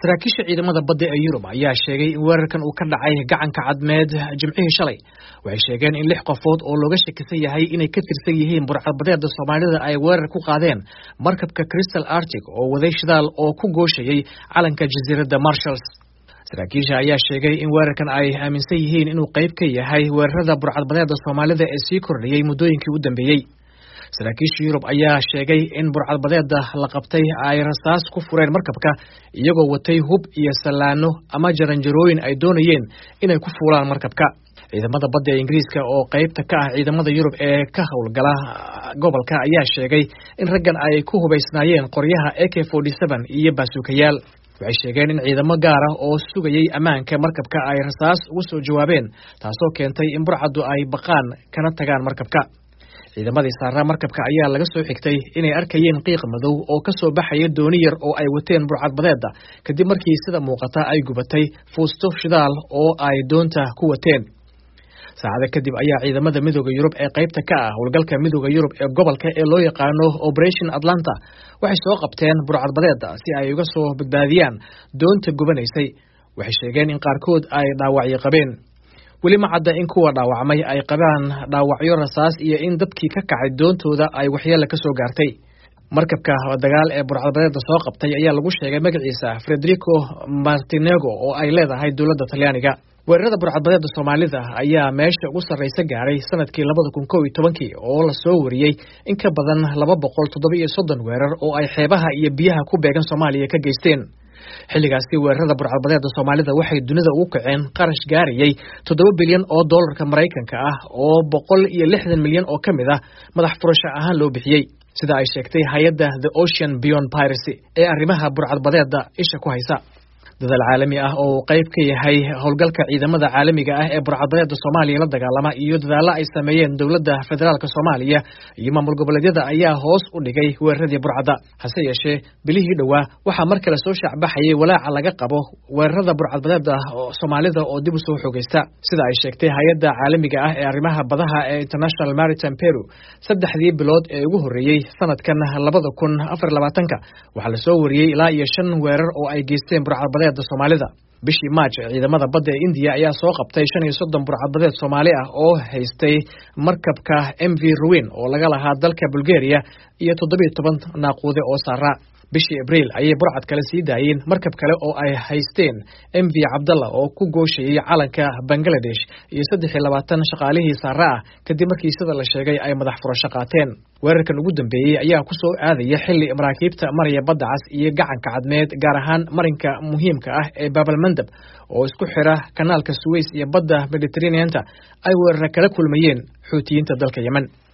Saraakiisha ciidamada badda ee Yurub ayaa sheegay in weerarkan uu ka dhacay gacanka Cadmeed Jimcihii shalay. Waxay sheegeen in lix qofood oo looga shakisan yahay inay ka tirsan yihiin burcadbadeeda Soomaalida ay weerar ku qaadeen markabka Crystal Arctic oo waday shidaal oo ku gooshayay calanka jasiiradda Marshalls. Saraakiisha ayaa sheegay in weerarkan ay aaminsan yihiin inuu qayb ka yahay weerarada burcadbadeeda Soomaalida ee sii kordhayey muddooyinkii u dambeeyey. Saraakiisha Yurub ayaa sheegay in burcadbadeeda la qabtay ay rasaas ku fureen markabka, iyagoo watay hub iyo sallaano ama jaranjarooyin ay doonayeen inay ku fuulaan markabka. Ciidamada badda ee Ingiriiska oo qaybta ka ah ciidamada Yurub ee ka howlgala gobolka ayaa sheegay in raggan ay ku hubaysnaayeen qoryaha AK-47 iyo baasuukayaal. Waxay sheegeen in ciidamo gaar ah oo sugayay ammaanka markabka ay rasaas ugu soo jawaabeen, taasoo keentay in burcaddu ay baqaan kana tagaan markabka. Ciidamadii saaraa markabka ayaa laga soo xigtay inay arkayeen qiiq madow oo ka soo baxaya dooni yar oo ay wateen burcadbadeedda, kadib markii sida muuqata ay gubatay fuusto shidaal oo ay doonta ku wateen. Saacado kadib ayaa ciidamada Midooda Yurub ee qaybta ka ah howlgalka Midooda Yurub ee gobolka ee loo yaqaano Operation Atlanta waxay soo qabteen burcadbadeedda si ay uga soo badbaadiyaan doonta gubanaysay. Waxay sheegeen in qaarkood ay dhaawacyo qabeen. Weli ma cadda in kuwa dhaawacmay ay qabaan dhaawacyo rasaas iyo in dadkii ka kacay doontooda ay waxyeelo ka soo gaartay. Markabka dagaal ee burcadbadeeda soo qabtay ayaa lagu sheegay magaciisa Frederico Martinego oo ay leedahay dowladda Talyaaniga. Weerarada burcadbadeeda Soomaalida ayaa meesha ugu sarreysa gaaray sanadkii 2011-kii, oo lasoo wariyey in ka badan 237 weerar oo ay xeebaha iyo biyaha ku beegan Soomaaliya ka geysteen. Xilligaasi weerarada burcadbadeeda Soomaalida waxay dunida ugu kaceen qarash gaarayay 7 bilyan oo doolarka Maraykanka ah, oo 160 milyan oo ka mid ah madax furasho ahaan loo bixiyey, sida ay sheegtay hay-adda The Ocean Beyond Piracy ee arrimaha burcadbadeeda isha ku haysa. Dadaal caalami ah oo uu qayb ka yahay howlgalka ciidamada caalamiga ah ee burcadbadeeda Soomaaliya la dagaalama iyo dadaallo ay sameeyeen dowladda federaalka Soomaaliya iyo maamul goboleedyada ayaa hoos u dhigay weeraradii burcadda. Hase yeeshee, bilihii dhowaa waxaa mar kale soo shaacbaxayay walaaca laga qabo weerarada burcadbadeeda Soomaalida oo dib u soo xoogeysta. Sida ay sheegtay hay-adda caalamiga ah ee arrimaha badaha ee International Maritime Bureau, saddexdii bilood ee ugu horreeyey sanadkan 2024-ka waxaa lasoo wariyey ilaa iyo shan weerar oo ay geysteen burcadbadeed Soomaalida. Bishii Maaj, ciidamada badda ee Indiya ayaa soo qabtay 35 burcadbadeed Soomaali ah oo haystay markabka MV Ruin oo laga lahaa dalka Bulgaria iyo 17 naaquude oo saaraa. Bishii Abriil ayay burcad kale sii daayeen markab kale oo ay haysteen, MV Cabdalla, oo ku gooshayey calanka Bangaladesh iyo 23 shaqaalihii saara ah, kadib markii sida la sheegay ay madax furasho qaateen. Weerarkan ugu dambeeyey ayaa ku soo aadaya xilli maraakiibta maraya Badda Cas iyo gacanka Cadmeed, gaar ahaan marinka muhiimka ah ee Baabalmandab oo isku xira kanaalka Suweys iyo badda Mediteraneanta, ay weerara kala kulmayeen Xuutiyiinta dalka Yemen.